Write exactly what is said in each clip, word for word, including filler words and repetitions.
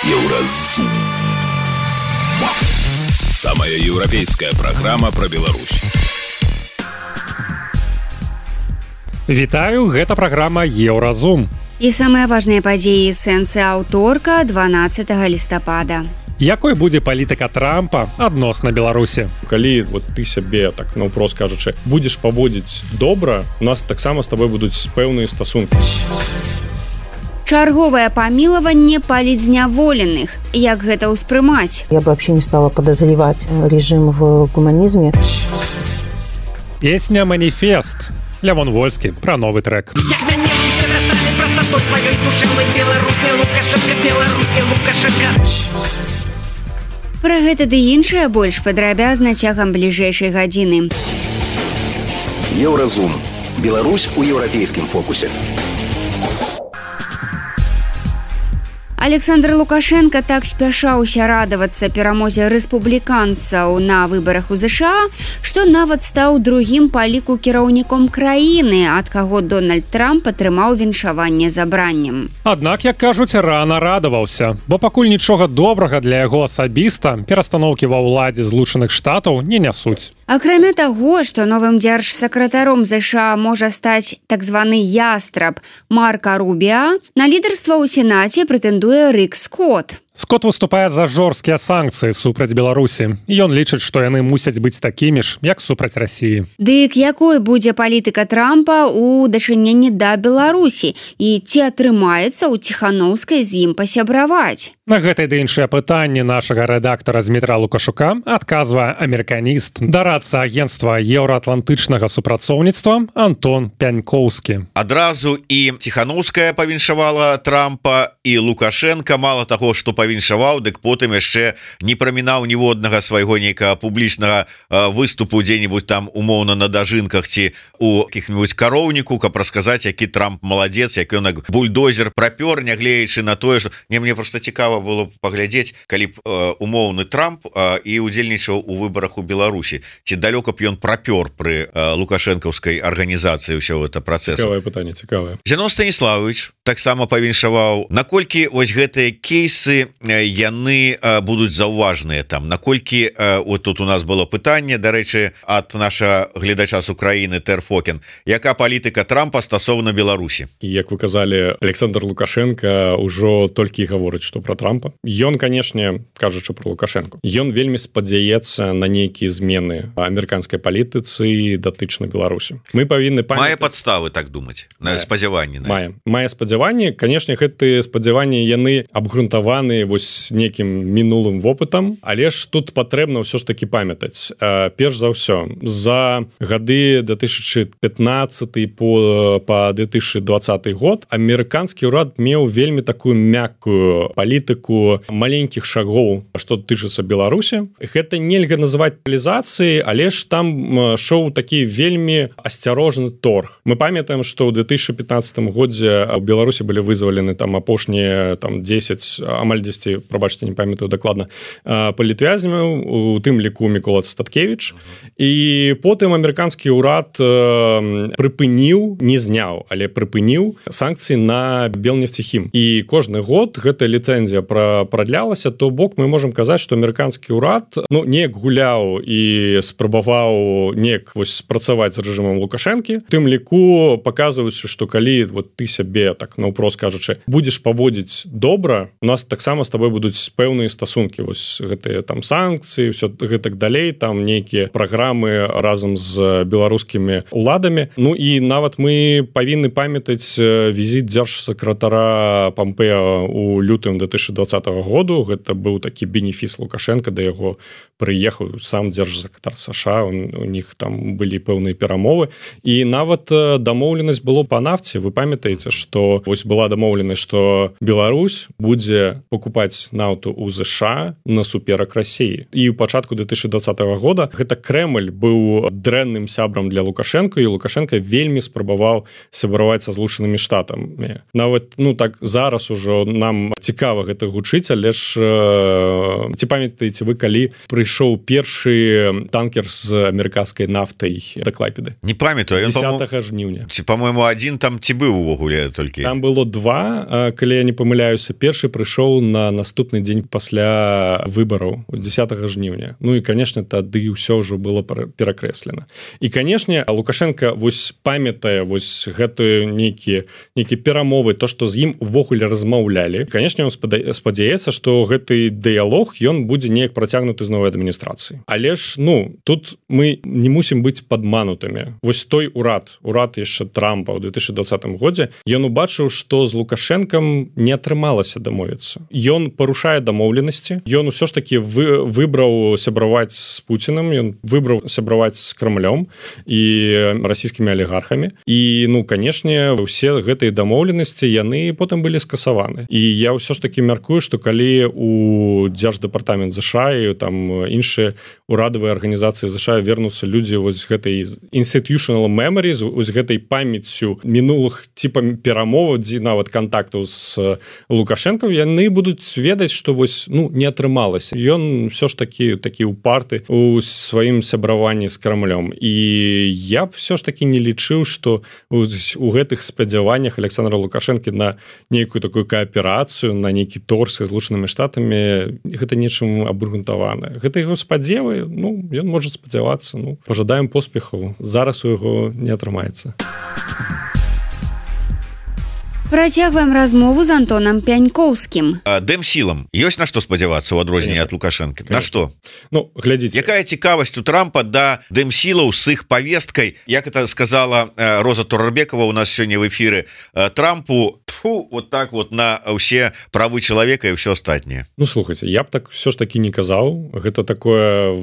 Еўразум. Самая еўрапейская программа про Беларусь. Вітаю, гэта праграма Еўразум. І самыя важныя падзеі сэнсы аўторка дванаццатага лістапада. Якой будзе палітыка Трампа адносна Беларусі? Калі вот ты сябе, так наўпрост кажучы, будзеш паводзіць добра, у нас таксама з табой будуць пэўныя стасункі. Чарговае памілаванне палітзняволеных. Як гэта ўспрымаць? Я бы вообще не стала подозревать режим в гуманизме. Песня «Маніфест». Лявон Вольскі пра новы трэк. Як мяне ўсе насталі прастатой сваёй душэўнай беларускай Лукашенка, беларускай Лукашенка. Пра гэта ды іншае больш падрабязна цягам бліжэйшай гадзіны. Еўразум. Беларусь у еўрапейскім фокусе. Александр Лукашенко так спяшаўся радавацца перамозе рэспубліканцаў на выбарах у ЗША, што нават стаў другім па ліку кіраўніком краіны, ад каго Дональд Трамп атрымаў віншаванне забраннем. Аднак, як кажуць, рана радаваўся, бо пакуль нічога добрага для яго асабіста перастаноўкі ва ўладзе Злучаных Штатаў не нясуць. Акрамя таго, што новым дзяржсакратаром ЗША можа стаць так званы ястраб Марка Рубіа, на лідарства ў Сенаце прэтэндуе Рик Скотт. Скотт выступае за жорсткія санкцыі супраць Беларусі. Ён лічыць, што яны мусяць быць такімі ж, як супраць Расіі. Дык якой будзе палітыка Трампа ў дачыненні да Беларусі? І ці атрымаецца ў Ціханаўскай з ім пасябраваць? На гэтае ды іншыя пытанні нашага рэдактара Змітра Лукашука адказвае амерыканіст, дарадца агенцтва еўраатлантычнага супрацоўніцтва Антон Пянькоўскі. Адразу і Ціханаўская павіншавала Трампа, і Лукашенка, мала таго, што павіншаваў, дык потым яшчэ не прамінаў ніводнага свайго нейкага публічнага выступу дзе-нибудь там умоўна на дажынках ці у каких-нибудь кароўніку, каб расказаць, які Трамп маладзец, як ён як бульдозер прапёр, нягледзячы на тое, што не мне просто цікава было паглядзець, калі б умоўны Трамп і удзельнічаў у выбарах у Беларусі, ці далёка б ён прапёр пры лукашэнкаўскай арганізацыі ўсё гэта працэсу. Цікавае пытанне, цікавае. Зянон Станіславович таксама павіншаваў, наколькі вось гэтыя кейсы яны будуць заўважныя там, наколькі вот тут у нас было пытанне, дарэчы, ад наша гледача з Украіны Тэрфокен, яка палітыка Трампа стасоўна Беларусі? І як вы казалі, Александр Лукашенко ўжо толькі гаворыць, што пра Трампа. Ён, канешне, кажучы пра Лукашенко, ён вельмі спадзяецца на нейкія змены амерыканскай палітыцы датычна Беларусі. Мы павінны памятаць... Мае падставы так думаць, на спадзяванні. Мае. Мае спадзяванні, канешне, гэтыя спадзяванні яны абгрунтаваны вось некім мінулым вопытам, але ж тут патрэбна ўсё ж таки памятаць. Перш за ўсё, за гады две тысячи пятнадцатый по, по две тысячи двадцатый год амерыканскі ўрад меў вельмі такую мяккую палітыку маленькіх шагоў, што тычыцца Беларусі. Гэта нельга называць палізацыяй, але ж там шоу такі вельмі асцярожны торг. Мы памятаем, што ў две тысячи пятнадцатым годзе у Беларусі былі вызвалены там апошнія там дзесяць, амаль дзесяць, прабачце, не памятаю дакладна, палітвязнямаў, у тым ліку Мікола Статкевіч. І потым амерыканскі ўрад прыпыніў, не зняў, але прыпыніў санкцыі на Белнефтехім. І кожны год гэта ліцэнзія прадлялася, то бок мы можам казаць, што амерыканскі ўрад ну, неяк гуляў і спрабаваў неяк вось спрацаваць з рэжымам Лукашэнкі. У тым ліку паказваючы, што калі вот, ты сябе, так наўпрост кажучы, будзеш паводзіць добра, у нас таксама з табой будуць пэўныя стасункі, вось гэтыя там санкцыі, ўсё гэтак далей, там нейкія праграмы разам з беларускімі уладамі. Ну і нават мы павінны памятаць візіт дзяржсакратара Помпеа у лютым две тысячи двадцатого году. Гэта быў такі бенефіс Лукашенко, да яго прыехаў сам дзяржсакратар США, у них там былі пэўныя перамовы. І нават дамоўленасць было па нафце. Вы памятаеце, што вось была дамоўленасць, што Беларусь будзе покупаць нафту ў ЗША насуперак Расіі. І ў пачатку две тысячи двадцатого года гэта Крэмль быў дрэнным сябрам для Лукашенко, і Лукашенко вельмі спрабаваў сябраваць са Злучанымі Штатамі. Нават, ну так, зараз ужо нам цікава гэта гучыць, але ж э, ці памятаеце вы, калі прыйшоў першы танкер з амерыканскай нафтай да Клайпеды? Не памятаю. дзесятага жніўня. Ці, по-моему, адзін там ці быў увогуле толькі? Там было два, калі я не памыляюся. Першы прыйшоў на на наступны дзень пасля выбараў десятого жніўня. Ну і конечно тады ўсё ўжо было перакрэслена. І канешне Лукашенко вось памятае вось гэтую нейкія нейкія перамовы, то што з ім увогуле размаўлялі. Канешне, он спадзяецца, што гэты дыялог ён будзе неяк працягнуты з новай адміністрацыі. Але ж ну тут мы не мусім быць падманутымі. Вось той урад урад яшчэ Трампа ў две тысячи двадцатым годзе ён убачыў, што з Лукашенкам не атрымалася дамовіцца. Ён парушае дамоўленасці. Ён усё ж таки вы, выбраў сябраваць з Пуціным, ён выбраў сябраваць з Крамлём і расійскімі алігархамі. І ну канешне усе гэтыя дамоўленасці яны потым былі скасаваны. І я ўсё ж таки мяркую, што калі у дзярждэпартамент ЗША і там іншыя урадавыя арганізацыі ЗША вернуцца людзі вось гэтай institutional memory, з гэтай памяццю мінулых типа перамоваў, дзе нават кантактаў з Лукашенком, яны будуць ведаць, што вось ну не атрымалася. Ён ўсё ж такі такі упарты у сваім сябраванні з Крамлём. І я б все ж таки не лічыў, што у, у гэтых спадзяваннях Александра Лукашенко на нейкую такую кааперацыю, на нейкі торг з Злучанымі Штатамі гэта нечым абгрунтавана. Гэта яго спадзевы, ну ён можа спадзявацца, ну пажадаем поспехаў. Зараз у яго не атрымаецца. Працягваем размову з Антонам Пянькоўскім. Дэмсілам ёсць на што спадзявацца ў адрозненні ад Лукашенко? На што? Ну, глядзіце. Якая цікавасць у Трампа да дэмсілаў з іх павесткай, як это сказала Роза Турарбекова у нас сёння в эфіры, Трампу тьфу, вот так вот на ўсе правы чалавека і ўсё астатняе. Ну, слухайце, я б так все ж таки не казаў. Гэта такое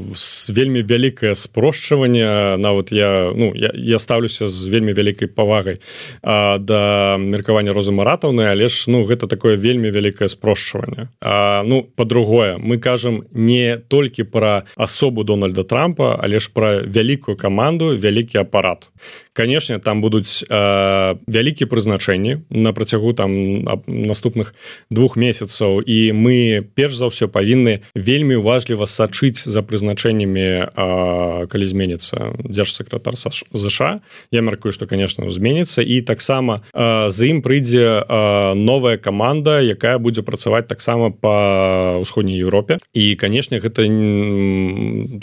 вельмі вялікае спрошчванне. Нават я, ну, я, я ставлюся з вельмі вялікай павагай а, да меркавання Розы Маратаўны, але ж ну гэта такое вельмі вялікае спрошчванне. А, ну па-другое, мы кажам не толькі пра асобу Дональда Трампа, але ж пра вялікую каманду, вялікі апарат. Канешне, там будуць э, вялікія прызначэнні на працягу там наступных двух месяцаў, і мы перш за ўсё павінны вельмі уважліва сачыць за прызначэннямі, э, калі зменіцца дзяржсакратар ЗША. Я мяркую, што конечно зменіцца, і таксама э, з ім прыйдзе э, новая каманда, якая будзе працаваць таксама па ўсходняй Еўропе. І канешне гэта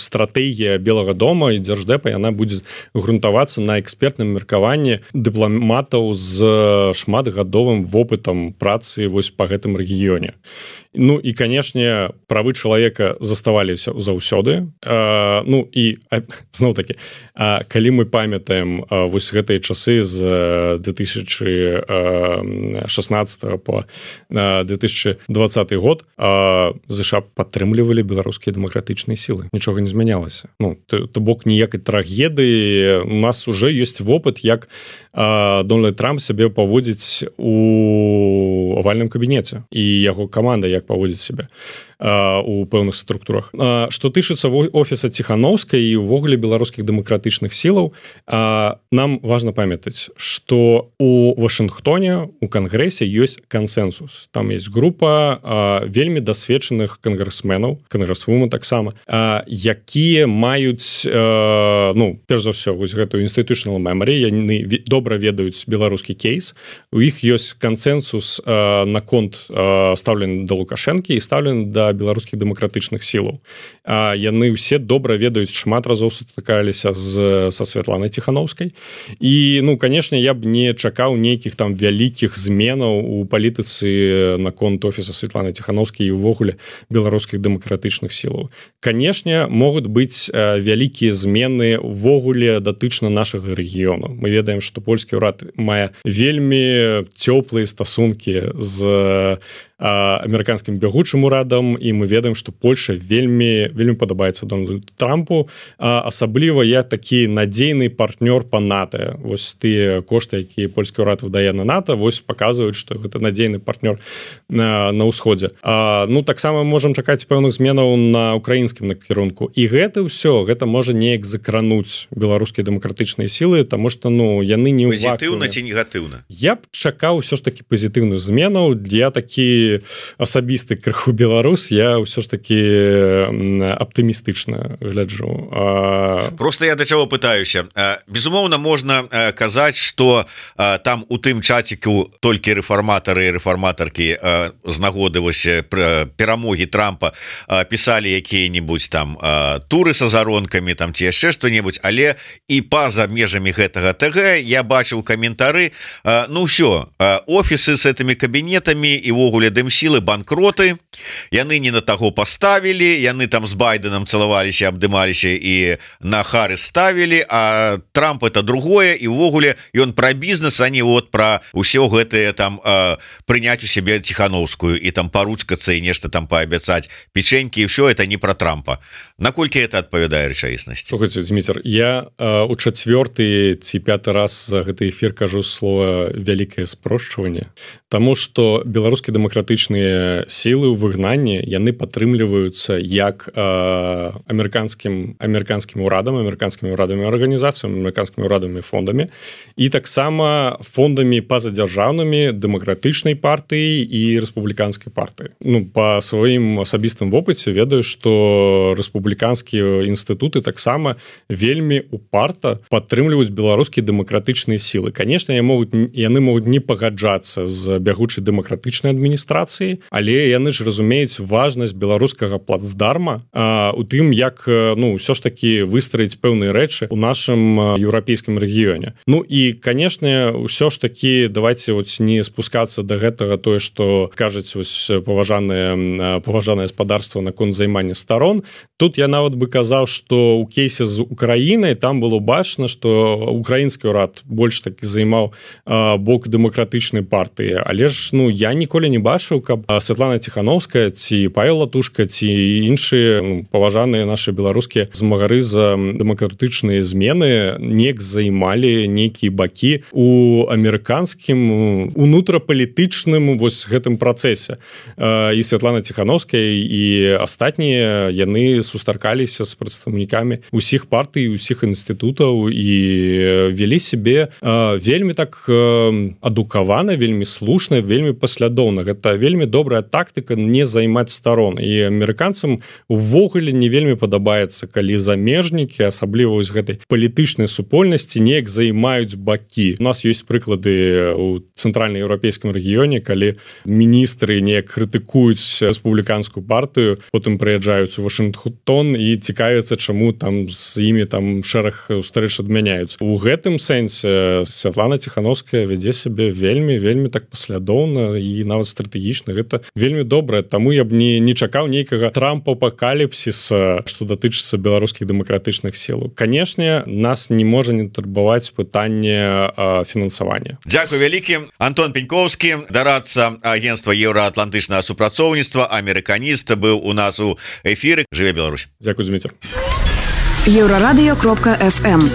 стратэгія Белага дома і Дзярждэпа, яна будзе грунтавацца на экспертным меркаванні дыпламатаў з шматгадовым вопытам працы вось па гэтым рэгіёне. Ну і канешне правы чалавека заставаліся заўсёды. А, ну і зноў такі, а, калі мы памятаем а, вось гэтыя часы з две тысячи шестнадцатого по две тысячи двадцатый год а, ЗША падтрымлівалі беларускія дэмакратычныя сілы. Нічога не змянялася. Ну то, то бок ніякай трагедыі. У нас уже ёсць вопыт, як а, Дональд Трамп сябе паводзіць у авальным кабінеце і яго каманда як паводзіць сябе у пэўных структурах. Што тычыцца офіса Ціхановскай і ўвогуле беларускіх дэмакратычных сілаў, нам важна памятаць, што у Вашынгтоне у кангрэсе ёсць кансэнсус. Там есть група вельмі дасведчаных кангрэсменаў, кангрэсвумен таксама, якія маюць, ну, перш за ўсё, вось гэтую institutional memory, яны добра ведаюць беларускі кейс. У іх ёсць кансэнсус наконт стаўлены да Лукашэнкі і стаўлены да беларускіх дэмакратычных сілаў. А яны ўсе добра ведаюць, шмат разоў сутыкаліся з са Святланай Ціхановскай. І ну канешне, я б не чакаў нейкіх там вялікіх зменаў у палітыцы наконт офіса Святланы Ціхановскай і ўвогуле беларускіх дэмакратычных сілаў. Канешне, могуць быць вялікія змены ўвогуле датычна нашага рэгіёну. Мы ведаем, што польскі ўрад мае вельмі цёплыя стасункі з амерыканскім бягучым урадам, і мы ведаем, што Польша вельмі вельмі падабаецца Дональду Трампу, а асабліва як такі надзейны партнёр па НАТО. Вось тыя кошты, якія польскі ўрад выдае на НАТО, вось паказваюць, што гэта надзейны партнёр на, на ўсходзе. А, ну таксама можам чакаць пэўных зменаў на украінскім накірунку. І гэта ўсё, гэта можа неяк закрануць беларускія дэмакратычныя сілы, таму што ну яны не ў вакууме. Пазітыўна ці негатыўна? Я б чакаў усё ж такі пазітыўную змену. Я такі такі асабісты крыху беларус, я ўсё ж такі аптымістычна гляджу. А... Просто я да чаго пытаюся. Безумоўна, можна казаць, што там у тым чаціку толькі рэфарматары і рэфарматаркі з нагоды вось перамогі Трампа пісалі якія-небудзь там туры са заронкамі там ці яшчэ што-небудзь, але і па-за межамі гэтага ТГ я бачыў каментары, ну ўсё, офісы з гэтымі кабінетамі і ўвогуле дымсілы банкроты, яны не на таго паставілі, яны там з Байденам цалаваліся, абдымаліся і на Харрис ставілі, а Трамп это другое, і ўвогуле ён пра бізнес, а не вот пра ўсё гэтае там прыняць у сябе Ціхановскую і там паручкацца і нешта там паабяцаць печенькі, і ўсё это не пра Трампа. Наколькі это адпавядае рэчаіснасці? Слухайце, Дмітр, я у чацвёрты ці пяты раз за гэты эфір кажу слова вялікае спрошчванне, таму што беларускія дэмакратычныя сілы ў выгнанні, яны падтрымліваюцца як э, амерыканскім амерыканскім урадам, амерыканскімі урадамі арганізацыямі, амерыканскімі урадамі фондамі і таксама фондамі пазадзяржаўнымі дэмакратычнай партыі і рэспубліканскай партыі. Ну, па сваім асабістым вопыце ведаю, што рэспубліканскія інстытуты таксама вельмі упарта падтрымліваюць беларускія дэмакратычныя сілы. Канешне, яны могуць не пагаджацца з бягучай дэмакратычнай адміністрацыяй, але яны ж разумеюць важнасць беларускага плацдарма а, у тым, як ну ўсё ж такі выстраіць пэўныя рэчы ў нашым еўрапейскім рэгіёне. Ну і, канешне, ўсё ж такі давайте вот не спускацца да гэтага тое, што кажуць вось паважанае паважанае гаспадарства наконт займання старон. Тут я нават бы казаў, што ў кейсе з Украінай там было бачна, што украінскі ўрад больш такі займаў а, бок дэмакратычнай партыі, але ж ну я ніколі не бачыў, каб Святлана Ціхановская ці Павел Латушка ці іншыя ну, паважаныя нашы беларускія змагары за дэмакратычныя змены неяк займалі нейкія бакі у амерыканскім унутрапалітычным вось гэтым працэсе. І Святлана Ціхановская і астатнія яны сустракаліся з прадстаўнікамі усіх партый, усіх інстытутаў і вялі сябе вельмі так адукавана, вельмі слушна, вельмі паслядоўна. Гэта вельмі добрая тактыка не займаць старон. І амерыканцам увогуле не вельмі падабаецца, калі замежнікі, асабліва вось гэтай палітычнай супольнасці неяк займаюць бакі. У нас ёсць прыклады ў цэнтральнаеўрапейскім рэгіёне, калі міністры неяк крытыкуюць рэспубліканскую партыю, потым прыязджаюць у Вашынгтон і цікавяцца, чаму там з імі там шэраг устрэч адмяняюць. У гэтым сэнсе Святлана Ціхановская вядзе сябе вельмі вельмі так паслядоўна і нават стратэгічна. Гэта вельмі добра, таму я б не, не чакаў нейкага трампапакаліпсіса, што датычыцца беларускіх дэмакратычных сілаў. Канешне, нас не можа не турбаваць пытанне а, фінансавання. Дзякуй вялікі. Антон Пенькоўскі, дарадца агентства еўраатлантычнага супрацоўніцтва, амерыканіст, быў у нас у эфіры. Жыве Беларусь. Дзякуй, Зміцер. еўрарадыё кропка эф эм.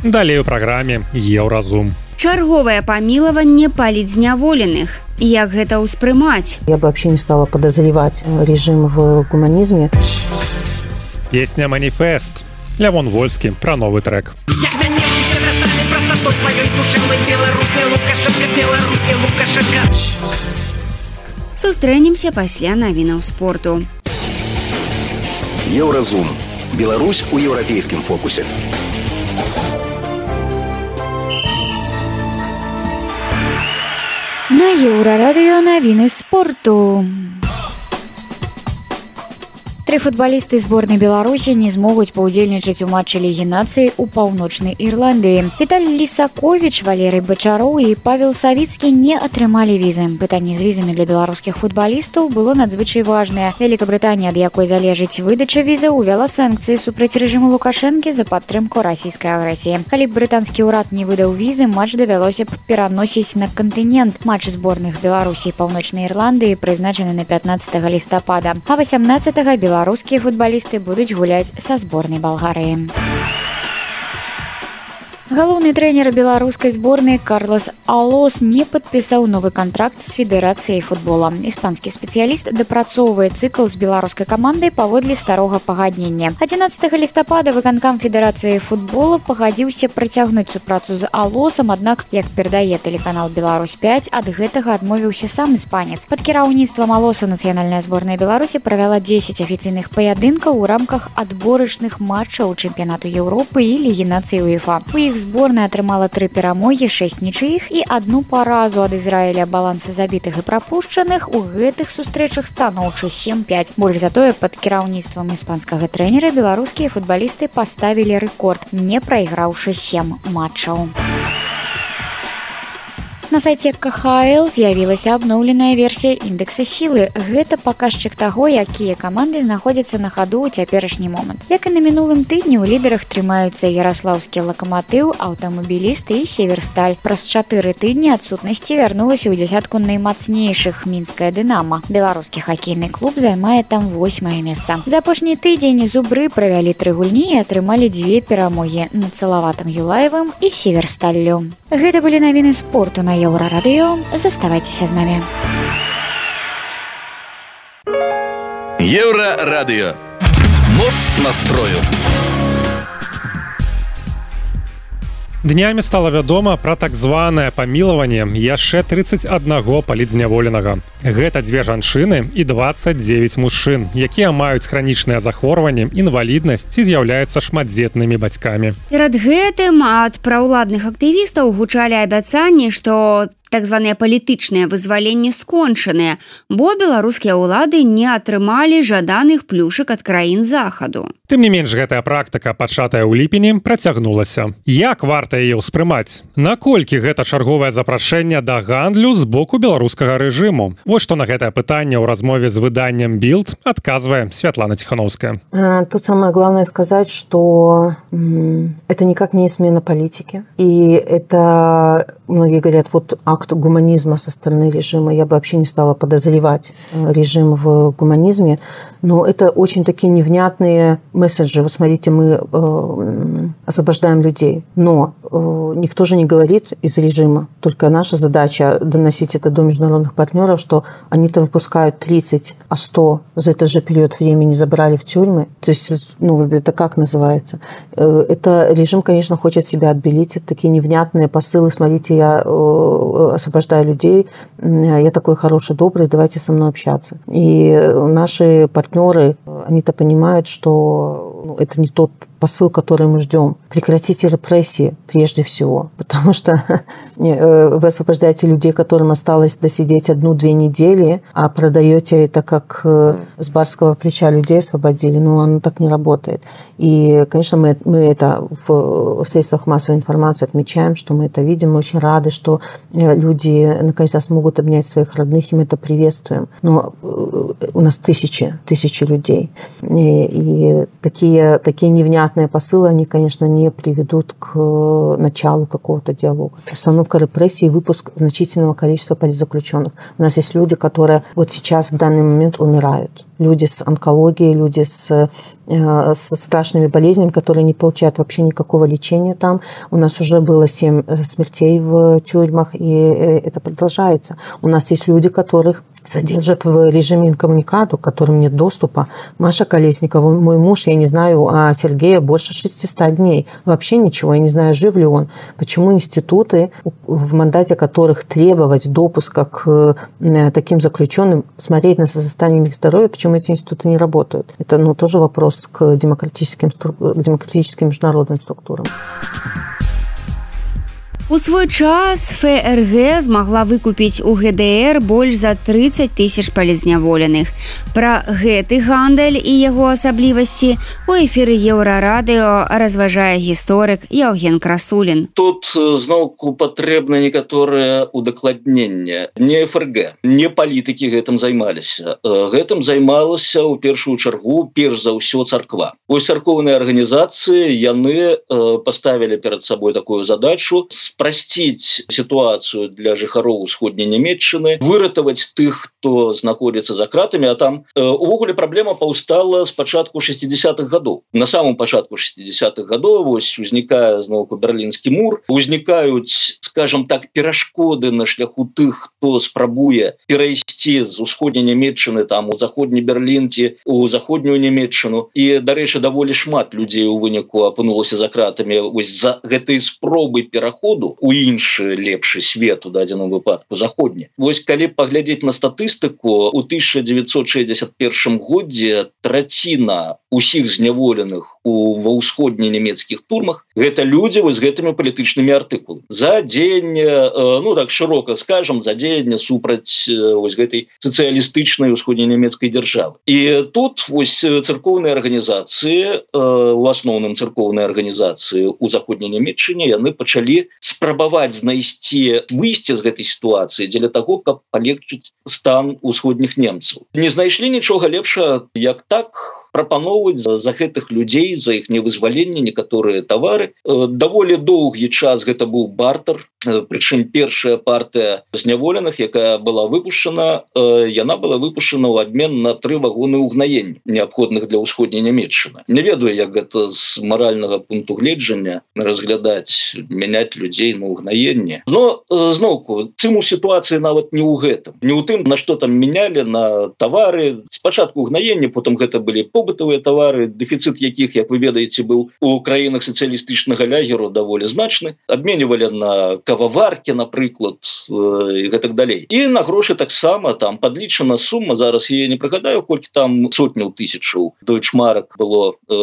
Далей у праграме Еўразум. Чарговае памілаванне палітзняволеных. Як гэта ўспрымаць? Я бы вообще не стала подозревать режим в гуманизме. Песня «Маніфест». Лявон Вольскі пра новы трэк. Як мяне усе насталі прастатой сваёй душэўнай беларускі Лукашенка, беларускі Лукашенка. Сустрэнемся пасля навінаў спорту. Еўразум. Беларусь у еўрапейскім фокусе. На Еўрарадыё навіны спорту. Тры футбалісты зборнай Беларусі не змогуць паўдзельнічаць у матчы Лігі нацый у паўночнай Ірландыі. Віталій Лісаковіч, Валерый Бачароў і Павел Савіцкі не атрымалі візы. Пытанне з візамі для беларускіх футбалістаў было надзвычай важнае. Вялікабрытанія, ад якой залежыць выдача віза, увяла санкцыі супраць рэжыму Лукашэнкі за падтрымку расійскай агрэсіі. Калі б брытанскі ўрад не выдаў візы, матч давялося б пераносіць на кантынент. Матч зборных Беларусі і паўночнай Ірландыі прызначаны на пятнаццатага лістапада, а васямнаццатага беларускіх Беларускія футбалісты будуць гуляць са зборнай Балгарыі. Галоўны трэнер беларускай зборнай Карлос Алос не падпісаў новы кантракт з федэрацыяй футбола. Іспанскі спецыяліст дапрацоўвае цыкл з беларускай камандай паводле старога пагаднення. адзінаццатага лістапада выканкам федэрацыі футбола пагадзіўся працягнуць супрацу з Алосам, аднак, як перадае тэлеканал Беларусь пяць, ад гэтага адмовіўся сам іспанец. Пад кіраўніцтвам Алоса нацыянальная зборная Беларусі правяла дзесяць афіцыйных паядынкаў у рамках адборачных матчаў чэмпіянату Еўропы і Лігі нацый УЕФА. У іх зборная атрымала тры перамогі, шэсць нічыіх і адну паразу ад Ізраіля. Баланса забітых і прапушчаных у гэтых сустрэчах станоўчы сем пяць. Больш затое, пад кіраўніцтвам іспанскага трэнера беларускія футбалісты паставілі рэкорд, не прайграўшы сем матчаў. На сайце ка ха эл з'явілася абноўленая версія індэкса сілы. Гэта паказчык таго, якія каманды знаходзяцца на хаду ў цяперашні момант. Як і на мінулым тыдні, у лідарах трымаюцца яраслаўскі лакаматыў, аўтамабіліст і северсталь. Праз чатыры тыдні адсутнасці вярнулася ў дзясятку наймацнейшых мінская дынама. Беларускі хакейны клуб займае там восьмае месца. За апошні тыдзень зубры правялі тры гульні і атрымалі дзве перамогі над Салаватам Юлаевым і северсталлю. Гэта былі навіны спорту на Еўрарадыё. Заставайцеся з намі. Еўрарадыё. Моц настрою. Днямі стала вядома пра так званае памілаванне яшчэ трыццаць аднаго палітзняволенага. Гэта дзве жанчыны і дваццаць дзевяць мужчын, якія маюць хранічныя захворванні, інваліднасць ці з'яўляюцца шматдзетнымі бацькамі. Перад гэтым ад праўладных актывістаў гучалі абяцанні, што так званыя палітычныя вызваленні скончаныя, бо беларускія ўлады не атрымалі жаданых плюшак ад краін захаду. Тым не менш, гэтая практыка, пачатая ў ліпені, працягнулася. Як варта яе ўспрымаць? Наколькі гэта чарговае запрашэнне да гандлю з боку беларускага рэжыму? Вось што на гэтае пытанне ў размове з выданнем Билд адказвае Святлана Тихановская. Тут самое главное сказать, что это никак не смена политики. И это, многие говорят, вот акт гуманизма со стороны режима. Я бы вообще не стала подозревать режим в гуманизме. Но это очень такие невнятные месседжи. Вот смотрите, мы э, освобождаем людей. Но э, никто же не говорит из режима. Только наша задача доносить это до международных партнеров, что они-то выпускают тридцать, а сто за этот же период времени забрали в тюрьмы. То есть, ну, это как называется? Э, это режим, конечно, хочет себя отбелить. Это такие невнятные посылы. Смотрите, я э, освобождаю людей. Я такой хороший, добрый, давайте со мной общаться. И наши партнеры партнеры, они-то понимают, что это не тот посыл, который мы ждем. Прекратите репрессии прежде всего, потому что вы освобождаете людей, которым осталось досидеть одну-две недели, а продаете это как с барского плеча людей освободили. Ну, оно так не работает. И, конечно, мы, мы это в средствах массовой информации отмечаем, что мы это видим. Мы очень рады, что люди наконец-то смогут обнять своих родных, и мы это приветствуем. Но у нас тысячи, тысячи людей. И, и такие, такие невнятные посылы, они, конечно, не приведут к началу какого-то диалога. Остановка репрессий и выпуск значительного количества политзаключенных. У нас есть люди, которые вот сейчас, в данный момент, умирают. Люди с онкологией, люди с, э, с страшными болезнями, которые не получают вообще никакого лечения там. У нас уже было семь смертей в тюрьмах, и это продолжается. У нас есть люди, которых содержат в режиме инкоммуникадо, к которым нет доступа. Маша Колесникова, мой муж, я не знаю, а Сергея больше шестисот дней. Вообще ничего, я не знаю, жив ли он. Почему институты, в мандате которых требовать допуска к таким заключенным, смотреть на состояние их здоровья, почему эти институты не работают? Это, ну, тоже вопрос к демократическим, к демократическим международным структурам. У свой час эф эр гэ змагла выкупіць у гэ дэ эр больш за трыццаць тысяч палізняволеных. Пра гэты гандаль і яго асаблівасці у эфіры Еўрарадыё разважае гісторык Яўген Красулін. Тут зноўку патрэбна некаторае удакладненне. Не эф эр гэ, не палітыкі гэтым займаліся. Гэтым займалася ў першую чаргу перш за ўсё царква. Вось царкоўныя арганізацыі яны паставілі перад сабой такую задачу спрасціць сітуацыю для жыхароў усходняй Нямецчыны, выратаваць тых, хто знаходзіцца за кратамі, а там э, увогуле праблема паўстала з пачатку шестидесятых гадоў. На самом пачатку шестидесятых гадоў вось узнікае зноўку берлінскі мур, узнікаюць, скажем так, перашкоды на шляху тых, хто спрабуе перайсці з усходняй Нямецчыны там у заходні Берлін ці у заходнюю Нямецчыну. І, дарэчы, даволі шмат людзей у выніку апынулася за кратамі вось за гэтай спробы пераходу у іншы лепшы свет у дадзеным выпадку заходні. Вось калі паглядзець на статыстыку, у тысяча девятьсот шестьдесят первом годзе траціна усіх зняволеных у ва ўсходніх нямецкіх турмах гэта людзі вось гэтымі палітычнымі артыкуламі. За дзеянне, ну так шырока скажам, за дзеянне супраць вось гэтай сацыялістычнай усходненямецкай дзяржавы. І тут вось царкоўныя арганізацыі, у асноўным царкоўныя арганізацыі у заходняй Нямецчыне, яны пачалі спрабаваць знайсці выйсце з гэтай сітуацыі дзеля таго, каб палегчыць стан усходніх немцаў. Не знайшлі нічога лепшага, як так прапаноўваць за гэтых людзей, за іх невызваленне некаторыя тавары. Даволі доўгі час гэта быў бартер, прычым першая партыя зняволеных, якая была выпушчана, яна была выпушчана ў абмен на тры вагоны ўгнаення, неабходных для ўсходняй Нямецчыны. Не ведаю, як гэта з маральнага пункту гледжання разглядаць, мяняць людзей на ўгнаенне. Но зноўку, цым у сітуацыі нават не ў гэтым. Не ў тым, на што там менялі, на тавары. Спачатку ўгнаення, потым гэта былі побытавыя тавары, дэфіцыт якіх, як вы ведаеце, быў у краінах сацыялістычнага лягеру даволі значны. Абменьвалі на кававаркі, напрыклад, і гэтак далей. І на грошы таксама там падлічана сума, зараз я не прыгадаю, колькі там сотняў тысячаў дойчмарак было э,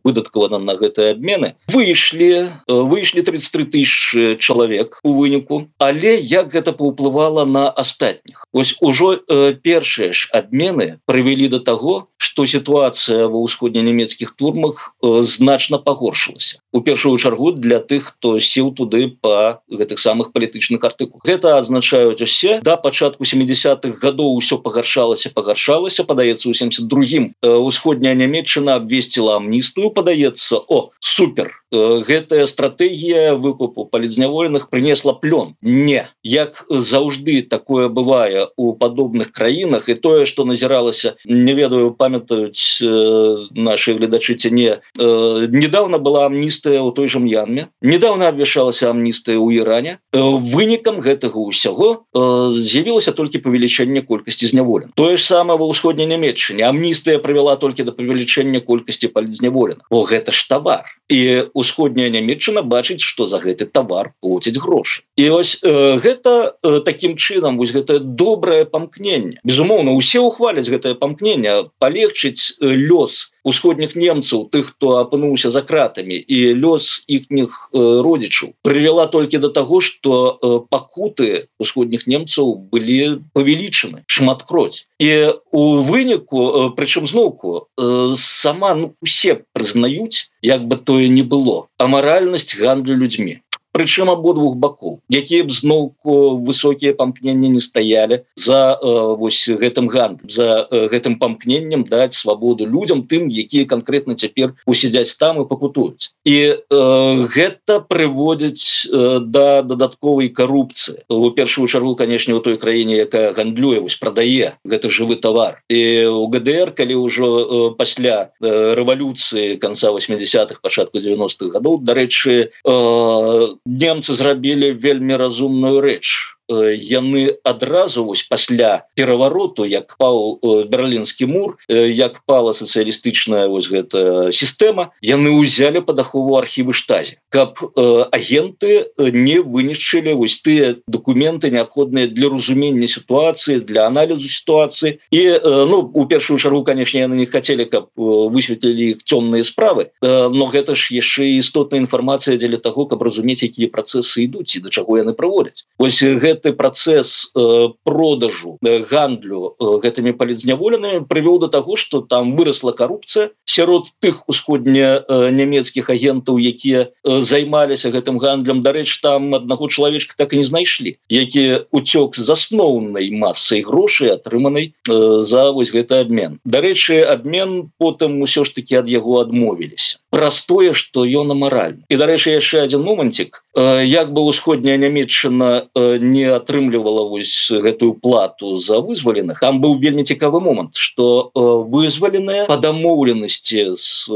выдаткавана на гэтыя абмены. Выйшлі, э, выйшлі тридцать три тысячы чалавек у выніку, але як гэта паўплывала на астатніх? Вось ужо э, першыя ж абмены прывялі да таго, што сітуацыя ва ўсходненямецкіх турмах э, значна пагоршылася. У першую чаргу для тых, хто сеў туды па гэтых самых палітычных артыкулах. Гэта азначаюць усе. Да пачатку семидесятых гадоў усё пагаршалася, пагаршалася. Падаецца, у семьдесят другім э, усходняя Нямецчына абвесціла амністыю, падаецца, о, супер. Э, гэтая стратэгія выкупу палітзняволеных прынесла плён. Не. Як заўжды такое бывае у падобных краінах, і тое, што назіралася, не ведаю, памятаюць э, наши гледачы ці не, э, недавно была амністыя ў той жа М'янме, недавно абвяшалася амністыя ў Іране. Э, вынікам гэтага ўсяго э, з'явілася толькі павелічэнне колькасці зняволеных. Тое ж самае ва ўсходняй Нямецчыне. Амністыя прывяла толькі да павелічэння колькасці палітзняволеных. О, гэта ж тавар. І усходняя Нямецчына бачыць, што за гэты тавар плоцяць грошы. І ось э, гэта э, такім чынам, вось гэтае добрае памкненне. Безумоўна, усе ухваляць гэтае памкненне, палегчыць э, лёс усходніх немцаў, тых, хто апынуўся за кратамі, і лёс іхніх э, родзічаў прывяла толькі да таго, што э, пакуты усходніх немцаў былі павелічаны шматкроць. І у выніку, э, прычым зноўку, э, сама ну, усе прызнаюць, як бы тое не было, амаральнасць гандлю людзьмі. Прычым абодвух бакоў, якія б зноўку высокія памкненні не стаялі за э, вось гэтым гандлем, за э, гэтым памкненнем даць свабоду людзям, тым, якія канкрэтна цяпер усядзяць там і пакутуюць. І э, гэта прыводзіць э, да дадатковай карупцыі. У першую чаргу, канешне, у той краіне, якая гандлюе, вось прадае гэты жывы тавар. І у ГДР, калі ўжо э, пасля э, рэвалюцыі канца восьмидесятых, пачатку девяностых гадоў, дарэчы, э, немцы зрабілі вельмі разумную рэч. Яны адразу вось пасля перавароту, як паў берлінскі мур, як пала сацыялістычная вось гэта сістэма, яны ўзялі пад ахову архівы штазі, каб э, агенты не вынішчылі вось тыя дакументы неабходныя для разумення сітуацыі, для аналізу сітуацыі. І э, ну у першую чаргу, канешне, яны не хацелі, каб высветлілі іх цёмныя справы, э, но гэта ж яшчэ істотная інфармацыя дзеля таго, каб разумець, якія працэсы ідуць і да чаго яны прыводзяць. Вось гэта гэты працэс э, продажу, э, гандлю э, гэтымі палітзняволенымі прывёў да таго, што там вырасла карупцыя сярод тых усходня э, нямецкіх агентаў, якія э, займаліся гэтым гандлем. Дарэчы, там аднаго чалавечка так і не знайшлі, які уцёк з асноўнай масай грошай, атрыманай э, за вось гэты абмен. Дарэчы, абмен потым усё ж такі ад яго адмовіліся. праз тое, што ён амаральны. І, дарэчы, яшчэ адзін момантик. Як бы ўсходняя Нямецчына не атрымлівала вось гэтую плату за вызваленых, там быў вельмі цікавы момант, што вызваленыя па дамоўленасці з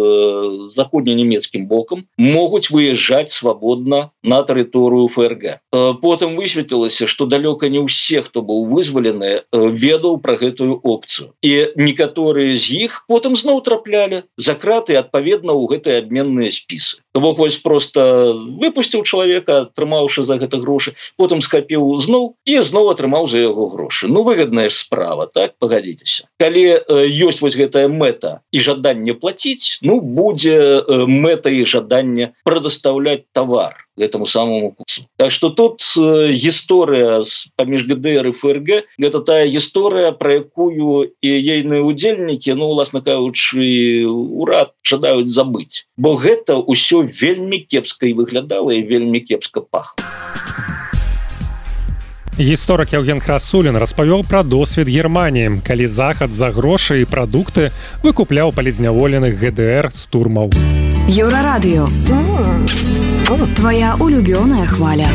заходненямецкім бокам могуць выязджаць свабодна на тэрыторыю ФРГ. Потым высветлілася, што далёка не ўсе, хто быў вызвалены, ведаў пра гэтую опцыю. І некаторыя з іх потым зноў траплялі за краты адпаведна ў гэтыя абменныя спісы. Бок вось проста выпусціў чалавека, атрымаўшы за гэта грошы, потым скапіў зноў і зноў атрымаў за яго грошы. Ну, выгадная ж справа, так, пагадзіцеся. Калі ёсць вось гэтая мэта і жаданне плаціць, ну, будзе мэта і жаданне прадастаўляць тавар гэтаму самому курсу. Так што тут гісторыя паміж ГДР і ФРГ – гэта тая гісторыя, пра якую і ейныя удзельнікі, ну, уласна кажучы, урад жадаюць забыць. Бо гэта ўсё вельмі кепска і выглядала, і вельмі кепска пахла. Гісторык Евген Красулін распавёў пра досвед Германіі, калі Захад за грошы і прадукты выкупляў палізняволеных ГДР з турмаў. Еўрарадыё. Твоя улюбёная хваля.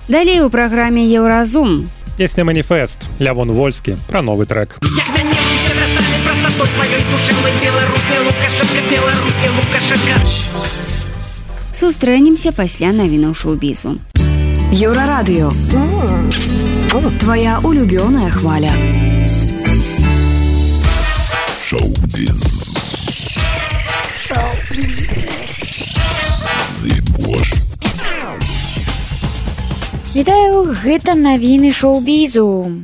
Далей у праграме Еўразум. Песня «Маніфест», Лявон Вольскі, пра новы трэк. Як мяне ўсе засталі прастатой сваёй душэўнай, беларускі Лукашенка, беларускі Лукашенка. Сустрэнемся пасля навінаў шоу-бізу. Еўрарадыё. Твоя улюбёная хваля. Шоу-біз. Вітаю, гэта навіны шоу-бізу.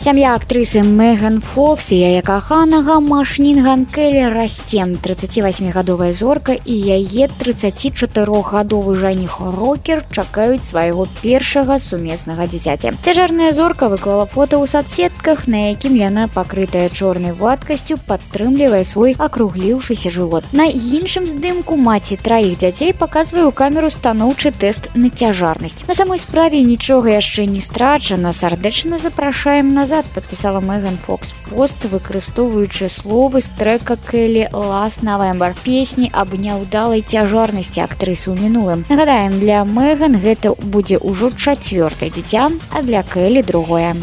Сям'я актрысы Меган Фокс і яе каханага Машнін Ганкелі расце. трыццацівасьмігадовая зорка і яе трыццацічатырохгадовы жаніх Рокер чакаюць свайго першага сумеснага дзіцяці. Цяжарная зорка выклала фота ў садсетках, на якім яна, пакрытая чорнай вадкасцю, падтрымлівае свой акругліўшыся жывот. На іншым здымку маці траіх дзяцей паказвае ў камеру станоўчы тэст на цяжарнасць. На самой справе нічога яшчэ не страчана. Сардэчна запрашаем на подписала Меган Фокс пост, выкарыстоўваючы словы з трэка Келі «Last November», песні аб няўдалай цяжарнасці актрысы ў мінулым. Нагадаем, для Меган гэта будзе ўжо чацвёртае дзіця, а для Келі другое.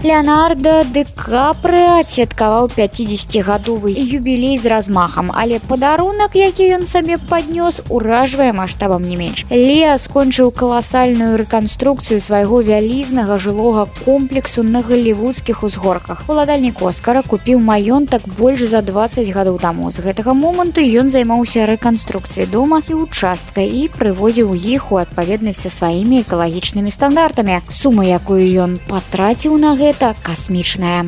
Леонардо Ди Капрыа адсвяткаваў пяцідзесяцігадовы юбілей з размахам, але падарунак, які ён сабе паднёс, уражвае маштабам не менш. Леа скончыў каласальную рэканструкцыю свайго вялізнага жылога комплексу на галівудскіх узгорках. Уладальнік Оскара купіў маёнтак больш за дваццаць гадоў таму. З гэтага моманту ён займаўся рэканструкцыяй дома і участка і прыводзіў іх у адпаведнасць са сваімі экалагічнымі стандартамі. Сума, якую ён патраціў на гэта, это космічная.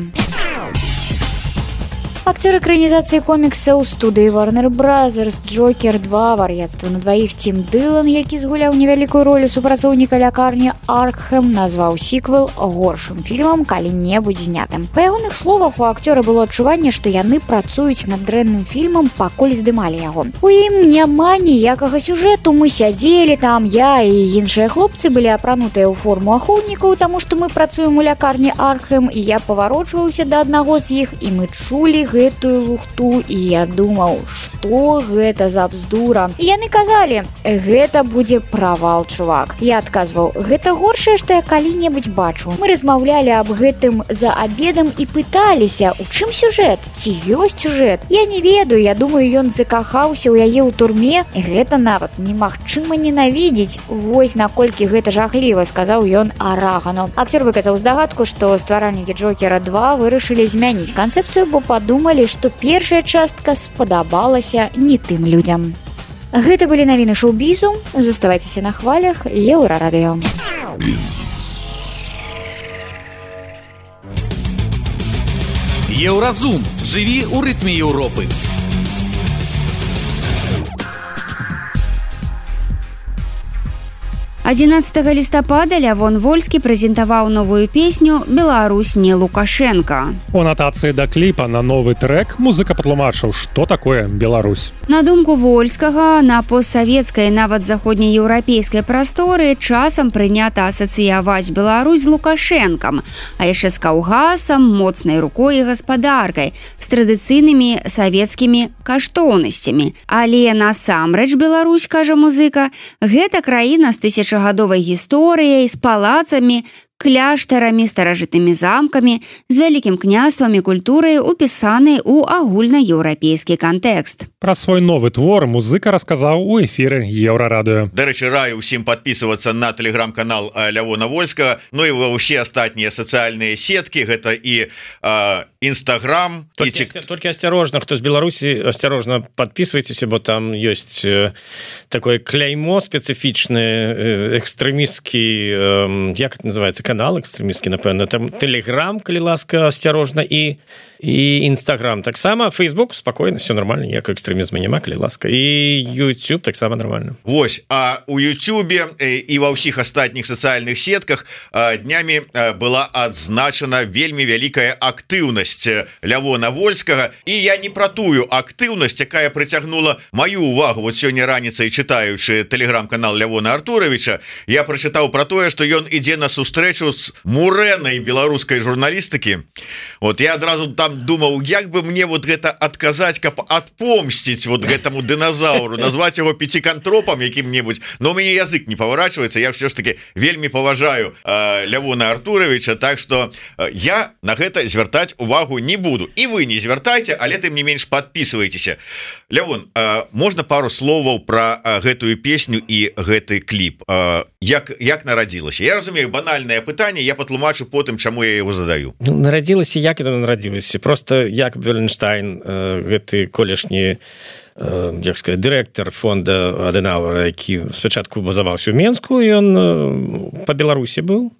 Актер экранізацыі коміксаў студыі Warner Brothers Джокер два вар'яцтва на дваіх Тім Дылан, які згуляў невялікую ролю супрацоўніка лякарні Аркхэм, назваў сіквел горшым фільмам калі-небудзь знятым. Па ягоных словах, у акцёра было адчуванне, што яны працуюць над дрэнным фільмам, пакуль здымалі яго. У ім няма ніякага сюжэту, мы сядзелі там, я і іншыя хлопцы былі апранутыя ў форму ахоўнікаў, таму што мы працуем у лякарні Аркхэм, і я паварочваўся да аднаго з іх, і мы чулі гэтую лухту, і я думаў, што гэта за бздура. І яны казалі, гэта будзе правал, чувак. Я адказваў, гэта горшае, што я калі-небудзь бачу. Мы размаўлялі аб гэтым за абедам і пыталіся, у чым сюжэт? Ці ёсць сюжэт? Я не ведаю, я думаю, ён закахаўся ў яе ў турме. Гэта нават немагчыма ненавідзець. Вось наколькі гэта жахліва, сказаў ён Арагану. Актер выказаў здагадку, што стваральнікі Джокера два вырашылі змяніць канцэпцыю, бо падумалі, што першая частка спадабалася не тым людзям. Гэта былі навіны шоу-бізу. Заставайцеся на хвалях Еўрарадыё. Еўразум. Жыві ў рытме Еўропы. адзінаццатага лістапада Лявон Вольскі прэзентаваў новую песню «Беларусь не Лукашенко». У анатацыі да кліпа на новы трек музыка патлумачыў, што такое Беларусь. На думку Вольскага, на постсавецкай, нават заходнееўрапейскай прасторы часам прынята асацыяваць Беларусь з Лукашэнкам, а яшчэ з Каўгасам, моцнай рукой і гаспадаркай, з традыцыйнымі савецкімі каштоўнасцямі. Але насамрэч Беларусь, кажа музыка, гэта краіна з тысячагадовай гісторыяй, з палацамі, кляштарамі, старажытнымі замкамі, з вялікім княствам і культурай, упісанай у агульнаеўрапейскі кантэкст. Пра свой новы твор музыка расказаў у эфіры Еўрарадыё. Дарэчы, раю ўсім падпісвацца на тэлеграм-канал Лявона Вольскага, ну і ва ўсе астатнія сацыяльныя сеткі, гэта і Інстаграм. Толькі, і... толькі асцярожна, хто з Беларусі, асцярожна падпісвайцеся, бо там ёсць такое кляймо спецыфічнае, экстрэмісткі, як это называется, канал экстрэмісткі, напэўна, там тэлеграм, калі ласка, асцярожна, і і Інстаграм таксама, Фейсбук спакойна, все нормально, ніякага экстрэмізму няма, калі ласка, і YouTube таксама нормально. Вось, а у Ютубе і ва ўсіх астатніх сацыяльных сетках днямі была адзначана вельмі вялікая актыўнасць Лявона Вольскага, і я не пра тую актыўнасць, якая прыцягнула маю увагу. Вот сёння раніцай, чытаючы тэлеграм-канал Лявона Артуровича, я прачытаў пра тое, што ён ідзе на сустрэчу з мурэнай беларускай журналістыкі. Вот я адразу там думаў, як бы мне вот гэта адказаць, каб адпомсціць вот гэтаму дыназаўру, назваць яго пяцікантропам якім-небудзь, но у мяне язык не паварачваецца. Я ўсё ж таки вельмі паважаю э, Лявона Артуровича, так что э, я на гэта звяртаць увагу не буду. І вы не звяртайце, але тым не менш падпісвайцеся. Лявон, э, можна пару словаў пра э, гэтую песню і гэты кліп. Э, як, як нарадзілася? Я разумею, банальнае пытанне, я патлумачу потым, чаму я яго задаю. Нарадзілася, як яно нарадзілася. Просто Якоб Веленштайн, гэты колішні, як сказать, дырэктар фонда Адэнауэра, які спачатку базаваўся ў Менску, ён па Беларусі быў.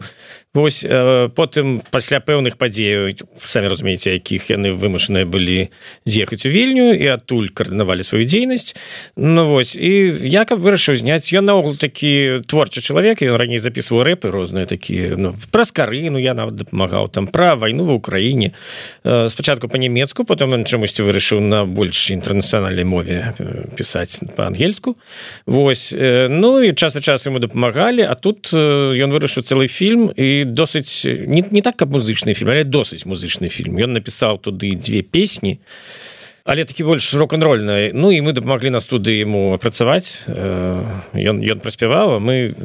Вось, потым пасля пэўных падзеяў, самі разумееце, якіх яны вымушаныя былі з'ехаць у Вільню і адтуль каардынавалі сваю дзейнасць. Ну вось, і Якоб вырашыў зняць, ён наогул такі творчы чалавек, ён раней запісваў рэпы розныя такія, ну, пра скарыну я нават дапамагаў, там, пра вайну ва ўкраіне. Спачатку па-нямецку, потым ён чамусьці вырашыў на больш інтэрнацыянальнай мове пісаць па-ангельску. Вось, ну і час ад часу яму дапамагалі, а тут ён вырашыў цэлы фільм, і досыць, не, не так, каб музычны фільм, але досыць музычны фільм. Ён напісаў туды дзве песні, але такі больш рок-н-рольны. Ну і мы дапамаглі на студыі яму апрацаваць. Ён, ён праспяваў, а мы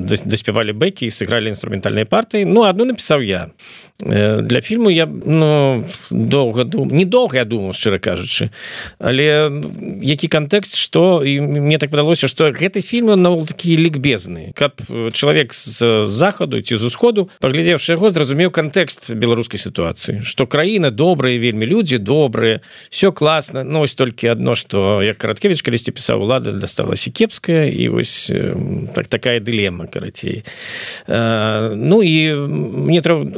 даспявалі бэкі і сыгралі інструментальныя партыі. Ну, адну напісаў я. Для фільму я, ну, доўга думаў, не доўга я думаў, шчыра кажучы, але які кантэкст, што, і мне так падалося, што гэты фільм, он наогул такі лікбезны, каб чалавек з захаду ці з усходу, паглядзеўшы яго, зразумеў кантэкст беларускай сітуацыі, што краіна добрая, вельмі людзі добрыя, все класна, ну, вось толькі адно, што, як Караткевіч калісьці пісаў, улада дасталася кепская, і вось так, такая дылема, карацей. Ну, і мне трэба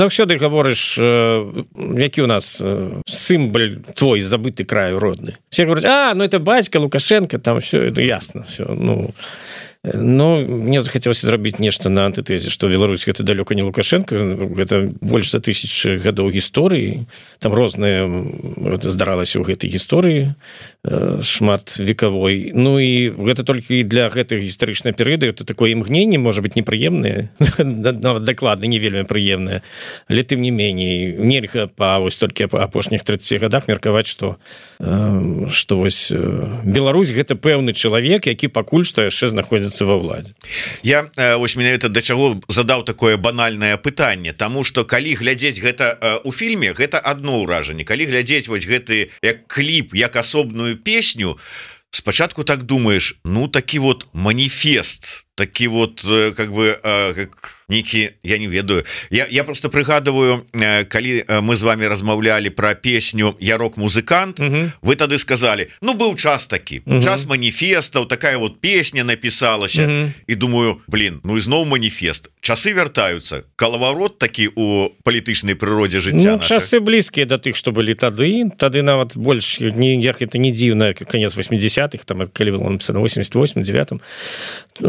заўсёды гаворыш, які ў нас сімбаль твой забыты краю родны. Все говорят, а, ну это бацька Лукашенко, там все, это ясно, все, ну... Но мне захацелася зрабіць нешта на антытэзе, што Беларусь гэта далёка не Лукашенко, гэта больш за тысячы гадоў гісторыі, там рознае здаралася ў гэтай гісторыі шмат векавой. Ну і гэта толькі для гэтых гістарычных перыяду, это такое імгненне, можа быць непрыемнае, нават дакладна не вельмі прыемнае, але тым не меней нельга па вось толькі апошніх тридцати гадах меркаваць, што што вось Беларусь гэта пэўны чалавек, які пакуль што яшчэ знаходзіцца ва ўладзе. Я вось менавіта да чаго задаў такое банальнае пытанне, таму што калі глядзець гэта у фільме, гэта адно ўражанне. Калі глядзець вось гэты як кліп, як асобную песню, спачатку так думаеш, ну такі вот маніфест, такі вот как бы как нейкі, я не ведаю, я, я просто прыгадываю, калі мы з вами размаўлялі про песню «Я рок-музыкант», угу. Вы тады сказали, ну быў час такі, угу. Час маніфестаў, такая вот песня напісалася, угу. І думаю, блин, ну ізноў маніфест, часы вяртаюцца, калаварот такі у палітычнай прыродзе жыцця. Ну, часы блізкія да тых, што былі тады, тады нават больш, ніяк это не дзіўна, канец восьмидесятых, там, калі было напісана восемьдесят восьмым, девятым,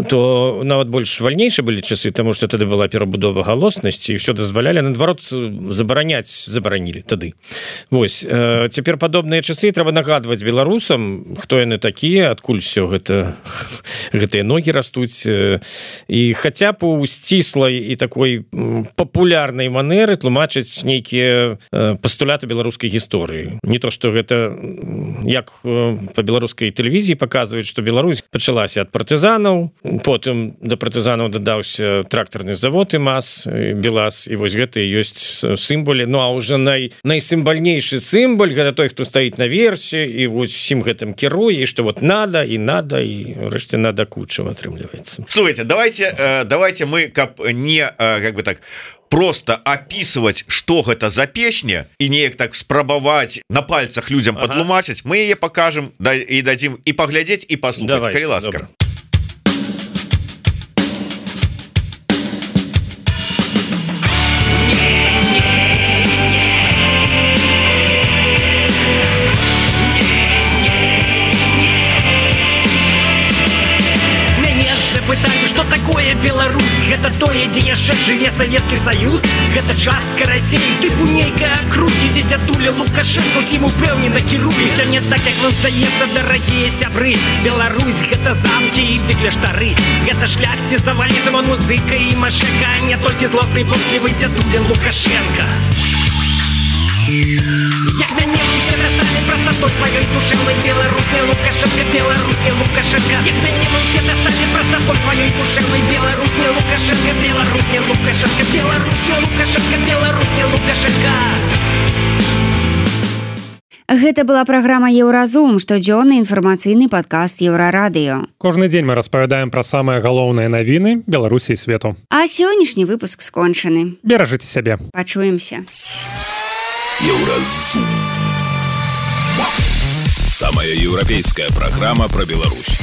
то бо нават больш вальнейшы былі часы, таму што тады была перабудова галоснасці, і ўсё дазвалялі, наадварот, забараняць забаранілі тады. Вось, цяпер падобныя часы трэба нагадваць беларусам, хто яны такія, адкуль все гэта, гэтыя ногі растуць, і хаця б у сціслай і такой папулярнай манеры тлумачыць нейкія пастуляты беларускай гісторыі. Не то, што гэта, як па беларускай тэлевізіі паказваюць, што Беларусь пачалася ад партызанаў, потым да партызанаў дадаўся трактарны завод ІМАЗ, БелАЗ, і вось гэта і ёсць сімволі. Ну, а ўжо най, найсімвальнейшы сімволь, гэта той, хто стаіць наверсе, і вось всім гэтым кіруе, і што вот надо, і надо, і рэшце надо кучава атрымліваецца. Слушайте, давайте, э, давайте мы, каб не, э, как бы так, просто описывать, что гэта за песня, и неяк так спрабаваць на пальцах людям ага. потлумачыць, мы яе покажем да, и дадим и поглядеть, и послушать. Калі ласка. Пытаю, что такое Беларусь? Гэта тое, дзе яшчэ жыве Савецкі Саюз? Гэта частка Расіі, тыпу нейкая кругі, дзе дзядуля Лукашенко ўсім упэўнена кіруе. Сёння так, як вам здаецца, дарагія сябры. Беларусь гэта замкі і кляштары. Гэта шляхці за валізам, он музыка і машека, не толькі злосны помслівы дзядуля Лукашенко. Як мяне усе дасталі простотой сваёй душевнай, беларускі Лукашенко, беларускі Лукашенко. Як мяне усе дасталі простотой сваёй душевнай, беларускі Лукашенко, беларускі Лукашенко, беларускі Лукашенко, беларускі Лукашенко. Гэта была праграма Еўразум, штодзённы інфармацыйны падкаст Еўрарадыё. Кожны дзень мы распавядаем пра самыя галоўныя навіны Беларусі і свету. А сённяшні выпуск скончаны. Беражыце сябе. Пачуемся. Еўразум. Самая еўрапейская программа про Беларусь.